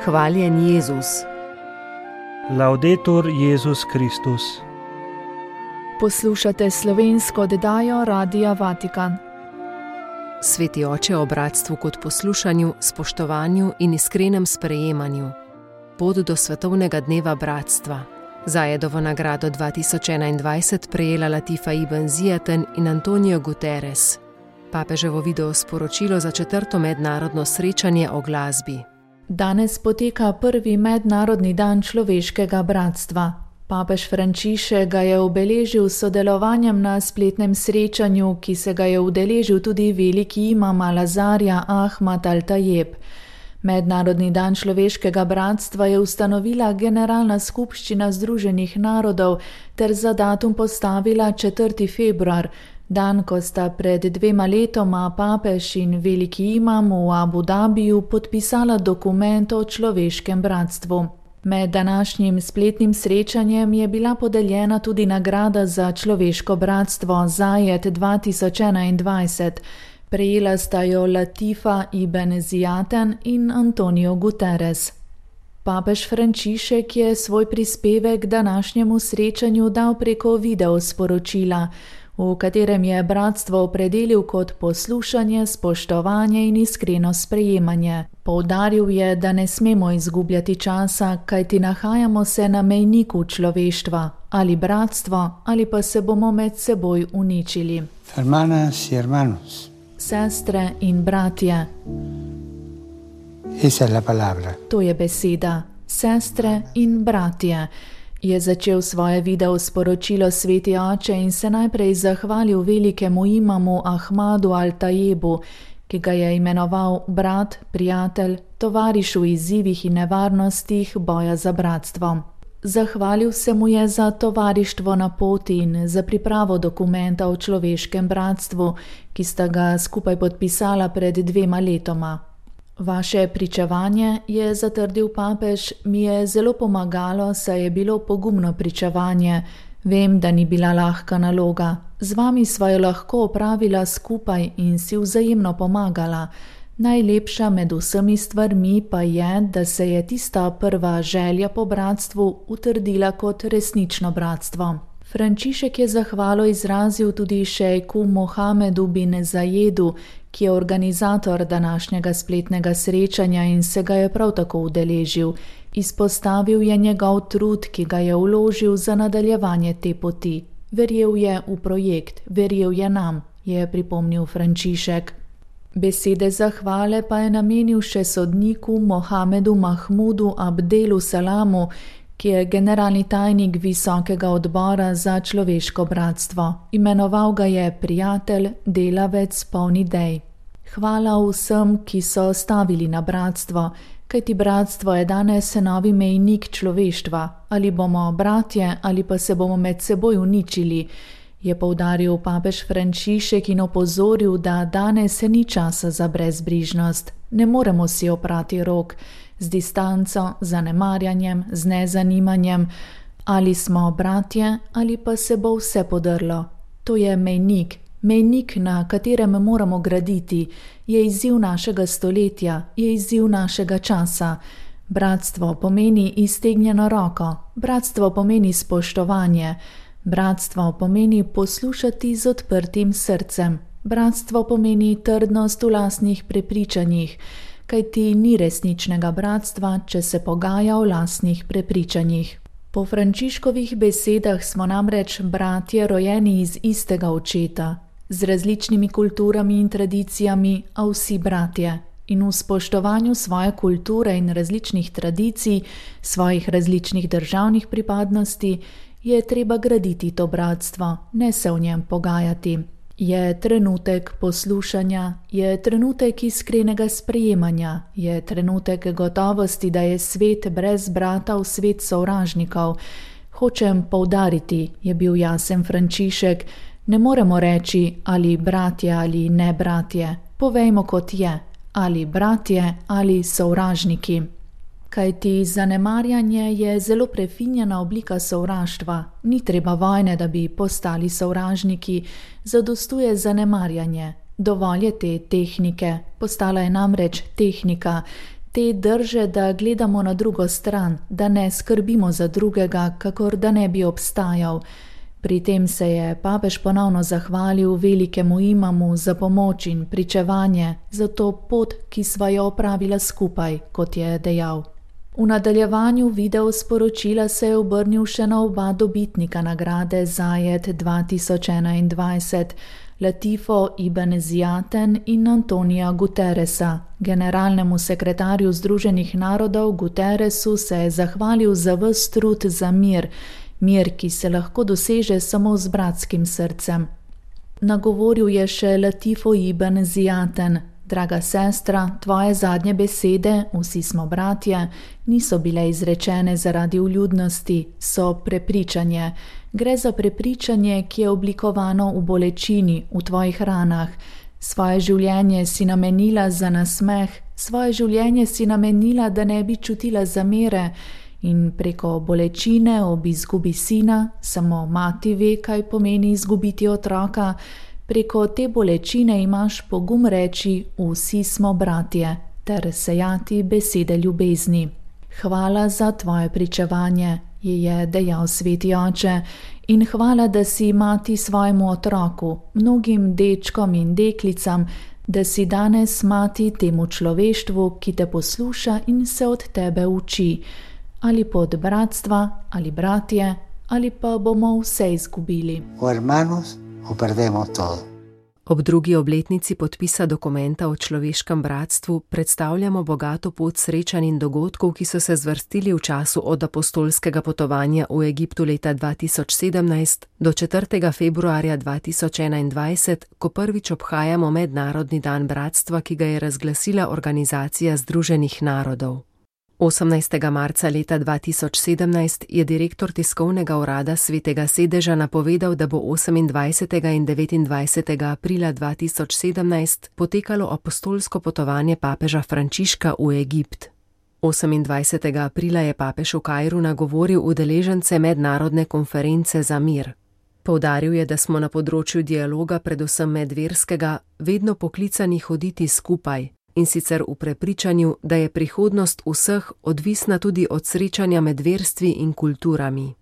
Hvaljen Jezus. Laudetur Jezus Kristus. Poslušate slovensko oddajo Radia Vatikan. Sveti oče o bratstvu kot poslušanju, spoštovanju in iskrenem sprejemanju. Pot do svetovnega dneva bratstva. Zajedovo nagrado 2021 prejela Latifa Ibn Ziyaten in Antonio Guterres. Papeževo video sporočilo za 4. mednarodno srečanje o glasbi. Danes poteka prvi mednarodni dan človeškega bratstva. Papež Frančišek ga je obeležil s sodelovanjem na spletnem srečanju, ki se ga je udeležil tudi veliki imam Al-Azharja Ahmad Al-Tajeb. Mednarodni dan človeškega bratstva je ustanovila Generalna skupščina Združenih narodov ter za datum postavila 4. februar, dan, ko sta pred 2 letoma papež in veliki imam v Abu Dabiju podpisala dokument o človeškem bratstvu. Med današnjim spletnim srečanjem je bila podeljena tudi nagrada za človeško bratstvo Zajed 2021. Prejela sta jo Latifa Ibn Ziyaten in Antonio Guterres. Papež Frančišek je svoj prispevek današnjemu srečanju dal preko video sporočila, v katerem je bratstvo opredelil kot poslušanje, spoštovanje in iskreno sprejemanje. Poudaril je, da ne smemo izgubljati časa, kajti nahajamo se na mejniku človeštva, ali bratstvo, ali pa se bomo med seboj uničili. Hermanas y hermanos. Sestre in bratje. Esa es la palabra. To je beseda. Sestre in bratje. Je začel svoje video sporočilo sveti oče in se najprej zahvalil velikemu imamu Ahmadu Al-Tajebu, ki ga je imenoval brat, prijatelj, tovariš v izzivih in nevarnostih boja za bratstvo. Zahvalil se mu je za tovarištvo na poti in za pripravo dokumenta o človeškem bratstvu, ki sta ga skupaj podpisala pred 2 letoma. Vaše pričevanje, je zatrdil papež, mi je zelo pomagalo, saj je bilo pogumno pričevanje. Vem, da ni bila lahka naloga. Z vami sva jo lahko opravila skupaj in si vzajemno pomagala. Najlepša med vsemi stvarmi pa je, da se je tista prva želja po bratstvu utrdila kot resnično bratstvo. Frančišek je zahvalo izrazil tudi šejku Mohamedu bin Zajedu, ki je organizator današnjega spletnega srečanja in se ga je prav tako udeležil. Izpostavil je njegov trud, ki ga je vložil za nadaljevanje te poti. Verjel je v projekt, verjel je nam, je pripomnil Frančišek. Besede zahvale pa je namenil še sodniku Mohamedu Mahmudu Abdelu Salamu, ki je generalni tajnik Visokega odbora za človeško bratstvo. Imenoval ga je prijatelj, delavec, poln idej. Hvala vsem, ki so stavili na bratstvo, kajti bratstvo je danes novi mejnik človeštva. Ali bomo bratje, ali pa se bomo med seboj uničili, je poudaril papež Frančišek in opozoril, da danes ni časa za brezbrižnost. Ne moremo si oprati rok, z distanco, zanemarjanjem, z nezanimanjem. Ali smo bratje, ali pa se bo vse podrlo. To je mejnik, na katerem moramo graditi, je izziv našega stoletja, je izziv našega časa. Bratstvo pomeni iztegnjeno roko, bratstvo pomeni spoštovanje, bratstvo pomeni poslušati z odprtim srcem, bratstvo pomeni trdnost v lastnih prepričanjih, kajti ni resničnega bratstva, če se pogaja o lastnih prepričanjih. Po Frančiškovih besedah smo namreč bratje rojeni iz istega očeta, z različnimi kulturami in tradicijami, a vsi bratje. In v spoštovanju svoje kulture in različnih tradicij, svojih različnih državnih pripadnosti, je treba graditi to bratstvo, ne se v njem pogajati. Je trenutek poslušanja, je trenutek iskrenega sprejemanja, je trenutek gotovosti, da je svet brez bratov svet sovražnikov. Hočem poudariti, je bil jasen Frančišek, ne moremo reči ali bratje ali ne bratje. Povejmo kot je, ali bratje ali sovražniki. Kajti zanemarjanje je zelo prefinjena oblika sovraštva. Ni treba vojne, da bi postali sovražniki, zadostuje zanemarjanje. Dovolj je te tehnike, postala je namreč tehnika, te drže, da gledamo na drugo stran, da ne skrbimo za drugega, kakor da ne bi obstajal. Pri tem se je papež ponovno zahvalil velikemu imamu za pomoč in pričevanje, za to pot, ki sva jo opravila skupaj, kot je dejal. V nadaljevanju video sporočila se je obrnil še na oba dobitnika nagrade Zayed 2021, Latifo Ibn Ziyaten in Antonija Guterresa. Generalnemu sekretarju Združenih narodov Guterresu se je zahvalil za ves trud za mir, ki se lahko doseže samo z bratskim srcem. Nagovoril je še Latifo Ibn Ziyaten. Draga sestra, tvoje zadnje besede, vsi smo bratje, niso bile izrečene zaradi vljudnosti, so prepričanje. Gre za prepričanje, ki je oblikovano v bolečini, v tvojih ranah. Svoje življenje si namenila za nasmeh, svoje življenje si namenila, da ne bi čutila zamere, in preko bolečine ob izgubi sina, samo mati ve, kaj pomeni izgubiti otroka, preko te bolečine imaš pogum reči, vsi smo bratje, ter sejati besede ljubezni. Hvala za tvoje pričevanje, je dejal sveti oče, in hvala, da si mati svojemu otroku, mnogim dečkom in deklicam, da si danes mati temu človeštvu, ki te posluša in se od tebe uči, ali pod bratstva, ali bratje, ali pa bomo vse izgubili. Ob drugi obletnici podpisa dokumenta o človeškem bratstvu predstavljamo bogato pot srečanj in dogodkov, ki so se zvrstili v času od apostolskega potovanja v Egiptu leta 2017 do 4. februarja 2021, ko prvič obhajamo Mednarodni dan bratstva, ki ga je razglasila Organizacija Združenih narodov. 18. marca leta 2017 je direktor tiskovnega urada Svetega sedeža napovedal, da bo 28. in 29. aprila 2017 potekalo apostolsko potovanje papeža Frančiška v Egipt. 28. aprila je papež v Kairu nagovoril udeležence mednarodne konference za mir. Poudaril je, da smo na področju dialoga, predvsem medverskega, vedno poklicani hoditi skupaj, in sicer v prepričanju, da je prihodnost vseh odvisna tudi od srečanja med verstvi in kulturami.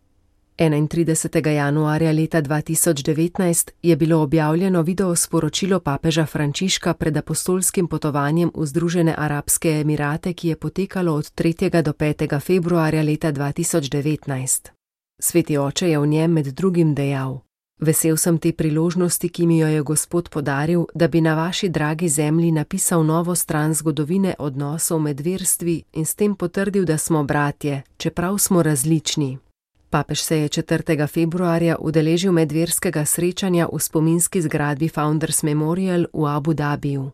31. januarja leta 2019 je bilo objavljeno video sporočilo papeža Frančiška pred apostolskim potovanjem v Združene arabske emirate, ki je potekalo od 3. do 5. februarja leta 2019. Sveti oče je v njem med drugim dejal: Vesel sem te priložnosti, ki mi jo je Gospod podaril, da bi na vaši dragi zemlji napisal novo stran zgodovine odnosov med verstvi in s tem potrdil, da smo bratje, čeprav smo različni. Papež se je 4. februarja udeležil medverskega srečanja v spominski zgradbi Founders Memorial v Abu Dhabiju.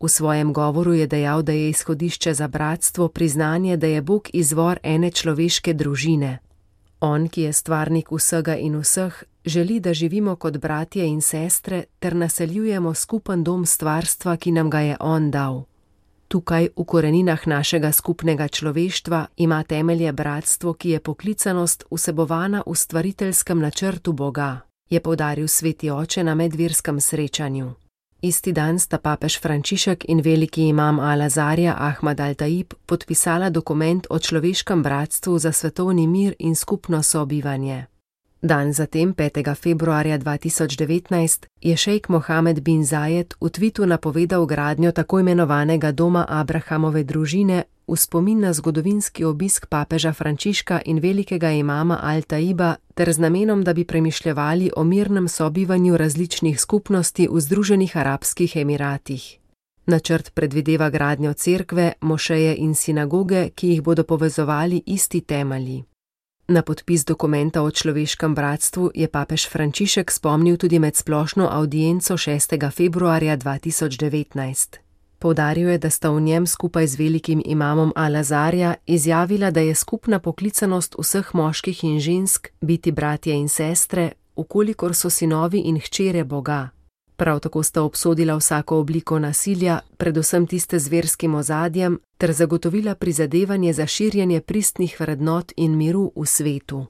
V svojem govoru je dejal, da je izhodišče za bratstvo priznanje, da je Bog izvor ene človeške družine. On, ki je stvarnik vsega in vseh, želi, da živimo kot bratje in sestre ter naseljujemo skupen dom stvarstva, ki nam ga je on dal. Tukaj, v koreninah našega skupnega človeštva, ima temelje bratstvo, ki je poklicanost vsebovana v stvariteljskem načrtu Boga, je poudaril sveti oče na medverskem srečanju. Isti dan sta papež Frančišek in veliki imam Al-Azarja Ahmad Al-Taib podpisala dokument o človeškem bratstvu za svetovni mir in skupno sobivanje. Dan zatem, 5. februarja 2019, je šejk Mohamed bin Zayed v tvitu napovedal gradnjo tako imenovanega doma Abrahamove družine v spomin na zgodovinski obisk papeža Frančiška in velikega imama Al-Taiba ter z namenom, da bi premišljevali o mirnem sobivanju različnih skupnosti v Združenih arabskih emiratih. Načrt predvideva gradnjo cerkve, mošeje in sinagoge, ki jih bodo povezovali isti temelji. Na podpis dokumenta o človeškem bratstvu je papež Frančišek spomnil tudi med splošno avdienco 6. februarja 2019. Poudaril je, da sta v njem skupaj z velikim imamom Al-Azarja izjavila, da je skupna poklicanost vseh moških in žensk biti bratje in sestre, vkolikor so sinovi in hčere Boga. Prav tako sta obsodila vsako obliko nasilja, predvsem tiste z verskim ozadjem, ter zagotovila prizadevanje za širjenje pristnih vrednot in miru v svetu.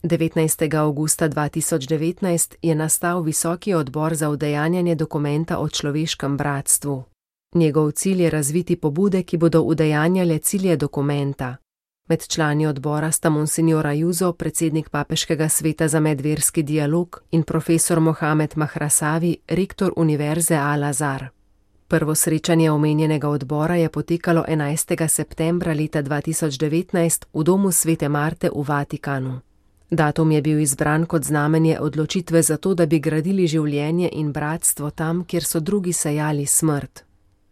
19. avgusta 2019 je nastal Visoki odbor za udejanjanje dokumenta o človeškem bratstvu. Njegov cilj je razviti pobude, ki bodo udejanjale cilje dokumenta. Med člani odbora sta monsignor Ayuso, predsednik Papeškega sveta za medverski dialog, in profesor Mohamed Mahrasavi, rektor Univerze Al-Azhar. Prvo srečanje omenjenega odbora je potekalo 11. septembra leta 2019 v domu Svete Marte v Vatikanu. Datum je bil izbran kot znamenje odločitve za to, da bi gradili življenje in bratstvo tam, kjer so drugi sejali smrt.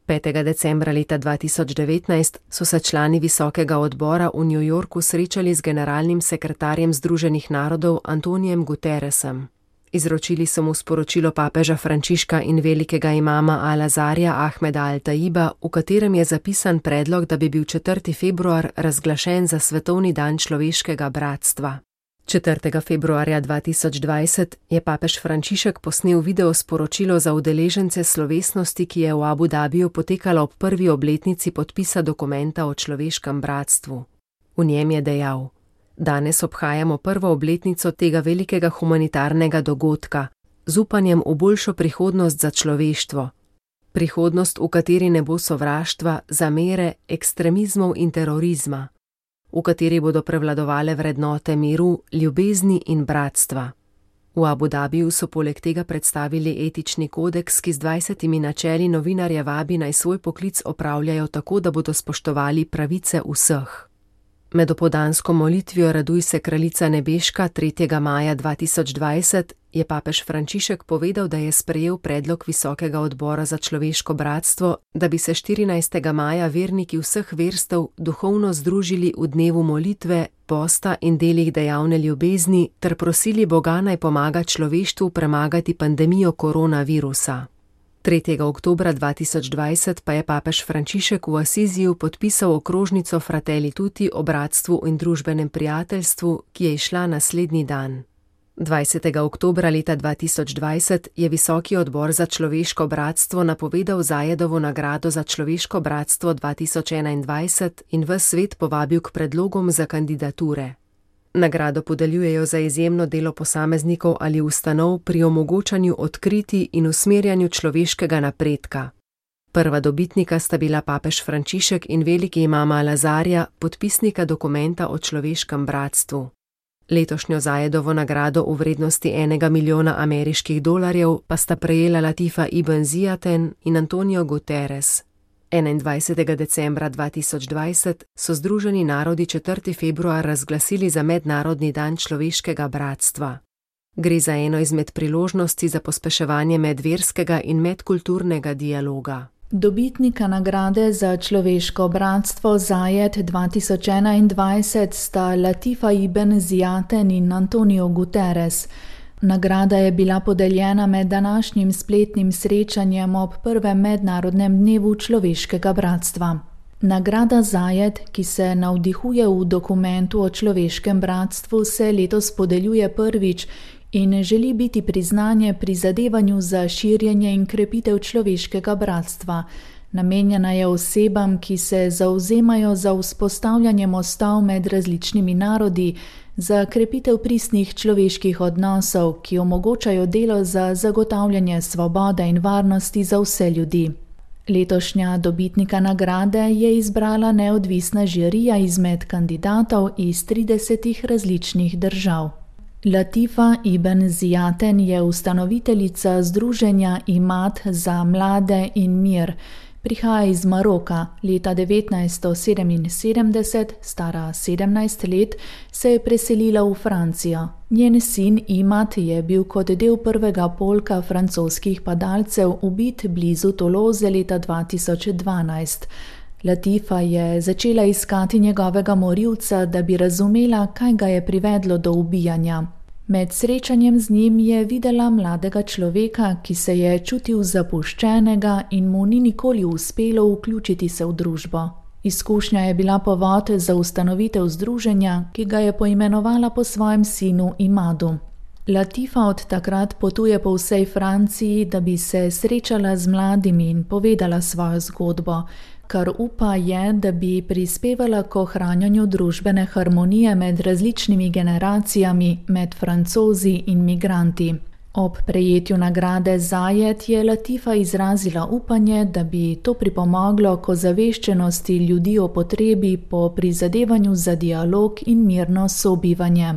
5. decembra leta 2019 so se člani visokega odbora v New Yorku srečali z generalnim sekretarjem Združenih narodov Antonijem Guterresem. Izročili so mu sporočilo papeža Frančiška in velikega imama Al-Azharja Ahmeda Al-Taiba, v katerem je zapisan predlog, da bi bil 4. februar razglašen za svetovni dan človeškega bratstva. 4. februarja 2020 je papež Frančišek posnel video sporočilo za udeležence slovesnosti, ki je v Abu Dhabiju potekala ob prvi obletnici podpisa dokumenta o človeškem bratstvu. V njem je dejal: Danes obhajamo prvo obletnico tega velikega humanitarnega dogodka, z upanjem v boljšo prihodnost za človeštvo. Prihodnost, v kateri ne bo sovraštva, zamere, ekstremizmov in terorizma, v kateri bodo prevladovale vrednote miru, ljubezni in bratstva. V Abu Dhabiju so poleg tega predstavili etični kodeks, ki z 20 načeli novinarje vabi naj svoj poklic opravljajo tako, da bodo spoštovali pravice vseh. Med opoldansko molitvijo Raduj se kraljica nebeška 3. maja 2020 je papež Frančišek povedal, da je sprejel predlog Visokega odbora za človeško bratstvo, da bi se 14. maja verniki vseh verstev duhovno združili v dnevu molitve, posta in delih dejavne ljubezni ter prosili Boga naj pomaga človeštvu premagati pandemijo koronavirusa. 3. oktobra 2020 pa je papež Frančišek v Asiziju podpisal okrožnico Fratelli Tutti o bratstvu in družbenem prijateljstvu, ki je izšla naslednji dan. 20. oktobra leta 2020 je Visoki odbor za človeško bratstvo napovedal Zajedovo nagrado za človeško bratstvo 2021 in ves svet povabil k predlogom za kandidature. Nagrado podeljujejo za izjemno delo posameznikov ali ustanov pri omogočanju odkritij in usmerjanju človeškega napredka. Prva dobitnika sta bila papež Frančišek in veliki imam Al-Azharja, podpisnika dokumenta o človeškem bratstvu. Letošnjo Zajedovo nagrado v vrednosti $1 milijona ameriških dolarjev pa sta prejela Latifa Ibn Ziyaten in Antonio Guterres. 21. decembra 2020 so Združeni narodi 4. februar razglasili za Mednarodni dan človeškega bratstva. Gre za eno izmed priložnosti za pospeševanje medverskega in medkulturnega dialoga. Dobitnika nagrade za človeško bratstvo Zajed 2021 sta Latifa Ibn Ziyaten in Antonio Guterres. Nagrada je bila podeljena med današnjim spletnim srečanjem ob prvem mednarodnem dnevu človeškega bratstva. Nagrada Zajed, ki se navdihuje v dokumentu o človeškem bratstvu, se letos podeljuje prvič in želi biti priznanje prizadevanju za širjenje in krepitev človeškega bratstva. Namenjena je osebam, ki se zavzemajo za vzpostavljanje mostov med različnimi narodi, za krepitev pristnih človeških odnosov, ki omogočajo delo za zagotavljanje svobode in varnosti za vse ljudi. Letošnja dobitnika nagrade je izbrala neodvisna žirija izmed kandidatov iz 30 različnih držav. Latifa Ibn Ziyaten je ustanoviteljica združenja Imad za mlade in mir. Prihaja iz Maroka. Leta 1977, stara 17 let, se je preselila v Francijo. Njen sin Imad je bil kot del prvega polka francoskih padalcev ubit blizu Toulouse leta 2012. Latifa je začela iskati njegovega morilca, da bi razumela, kaj ga je privedlo do ubijanja. Med srečanjem z njim je videla mladega človeka, ki se je čutil zapuščenega in mu ni nikoli uspelo vključiti se v družbo. Izkušnja je bila povod za ustanovitev združenja, ki ga je poimenovala po svojem sinu Imadu. Latifa od takrat potuje po vsej Franciji, da bi se srečala z mladimi in povedala svojo zgodbo, kar upa je, da bi prispevala k ohranjanju družbene harmonije med različnimi generacijami, med Francozi in migranti. Ob prejetju nagrade Zajed je Latifa izrazila upanje, da bi to pripomoglo k ozaveščenosti ljudi o potrebi po prizadevanju za dialog in mirno sobivanje.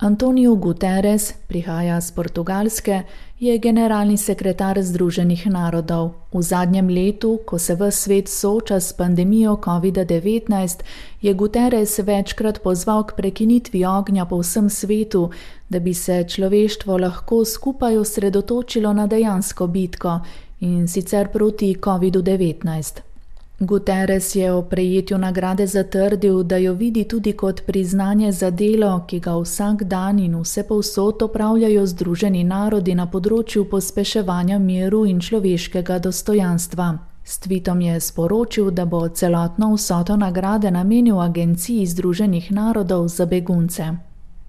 Antonio Guterres, prihaja z Portugalske, je generalni sekretar Združenih narodov. V zadnjem letu, ko se ves svet sooča s pandemijo COVID-19, je Guterres večkrat pozval k prekinitvi ognja po vsem svetu, da bi se človeštvo lahko skupaj osredotočilo na dejansko bitko, in sicer proti COVID-19. Guterres je o prejetju nagrade zatrdil, da jo vidi tudi kot priznanje za delo, ki ga vsak dan in vsepovsod opravljajo Združeni narodi na področju pospeševanja miru in človeškega dostojanstva. S tweetom je sporočil, da bo celotno vsoto nagrade namenil Agenciji Združenih narodov za begunce.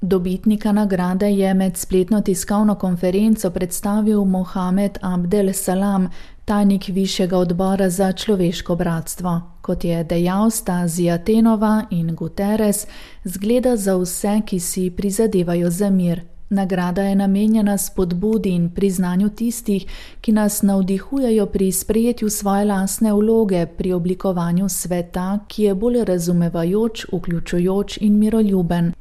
Dobitnika nagrade je med spletno tiskovno konferenco predstavil Mohamed Abdel Salam, tajnik Višjega odbora za človeško bratstvo. Kot je dejal, sta Zijatenova in Guterres zgleda za vse, ki si prizadevajo za mir. Nagrada je namenjena spodbudi in priznanju tistih, ki nas navdihujejo pri sprejetju svoje lastne vloge pri oblikovanju sveta, ki je bolj razumevajoč, vključujoč in miroljuben.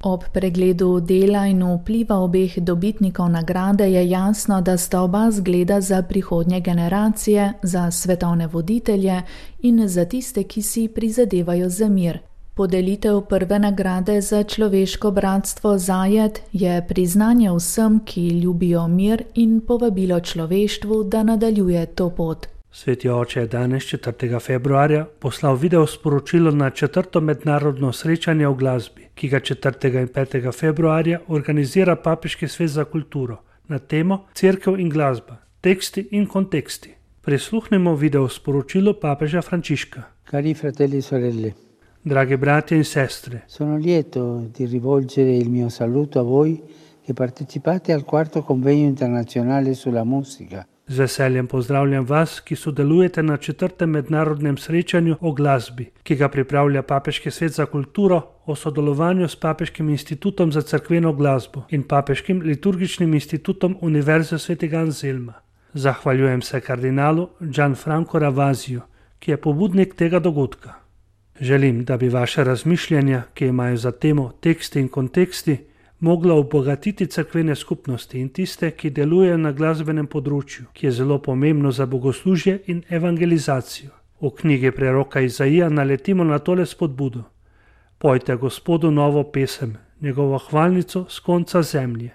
Ob pregledu dela in vpliva obeh dobitnikov nagrade je jasno, da sta oba zgleda za prihodnje generacije, za svetovne voditelje in za tiste, ki si prizadevajo za mir. Podelitev prve nagrade za človeško bratstvo Zajed je priznanje vsem, ki ljubijo mir, in povabilo človeštvu, da nadaljuje to pot. Sveti oče je danes, 4. februarja, poslal video sporočilo na 4. mednarodno srečanje o glasbi, ki ga 4. in 5. februarja organizira Papeški svet za kulturo na temo Cerkev in glasba, teksti in konteksti. Prisluhnimo video sporočilo papeža Frančiška. Cari fratelli e sorelle, Dragi bratje in sestre, sono lieto di rivolgere il mio saluto a voi che partecipate al 4. convegno internazionale sulla musica. Z veseljem pozdravljam vas, ki sodelujete na 4. mednarodnem srečanju o glasbi, ki ga pripravlja Papeški svet za kulturo o sodelovanju s Papeškim institutom za cerkveno glasbo in Papeškim liturgičnim institutom Univerze svetega Anselma. Zahvaljujem se kardinalu Gianfranco Ravasiju, ki je pobudnik tega dogodka. Želim, da bi vaše razmišljanja, ki imajo za temo teksti in konteksti, mogla obogatiti cerkvene skupnosti in tiste, ki delujejo na glasbenem področju, ki je zelo pomembno za bogoslužje in evangelizacijo. V knjigi preroka Izaija naletimo na tole spodbudo. Pojte Gospodu novo pesem, njegovo hvalnico s konca zemlje.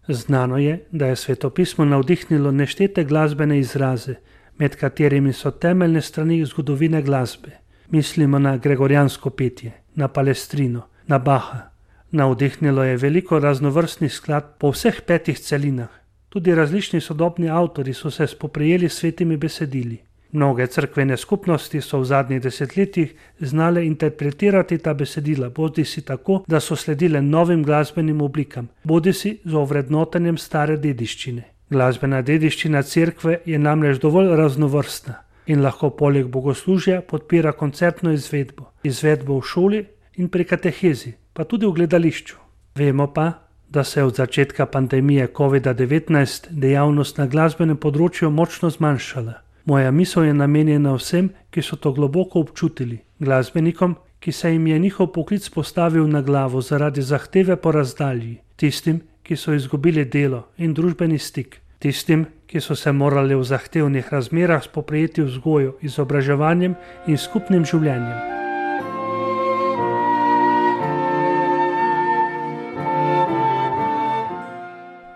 Znano je, da je svetopismo navdihnilo neštete glasbene izraze, med katerimi so temeljne strani zgodovine glasbe. Mislimo na gregorijansko petje, na Palestrino, na Baha. Navdihnilo je veliko raznovrstnih skladb po vseh 5 celinah. Tudi različni sodobni avtori so se spoprijeli s svetimi besedili. Mnoge cerkvene skupnosti so v zadnjih desetletjih znale interpretirati ta besedila, bodisi tako, da so sledile novim glasbenim oblikam, bodisi z ovrednotenjem stare dediščine. Glasbena dediščina cerkve je namreč dovolj raznovrstna in lahko poleg bogoslužja podpira koncertno izvedbo v šoli in pri katehezi, pa tudi v gledališču. Vemo pa, da se je od začetka pandemije COVID-19 dejavnost na glasbenem področju močno zmanjšala. Moja misel je namenjena vsem, ki so to globoko občutili, glasbenikom, ki se jim je njihov poklic postavil na glavo zaradi zahteve po razdalji, tistim, ki so izgubili delo in družbeni stik, tistim, ki so se morali v zahtevnih razmerah spoprijeti vzgojo, izobraževanjem in skupnim življenjem.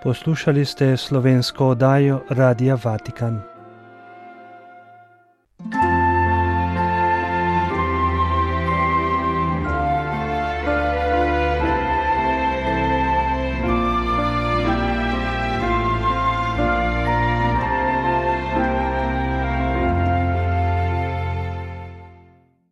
Poslušali ste slovensko oddajo Radia Vatikan.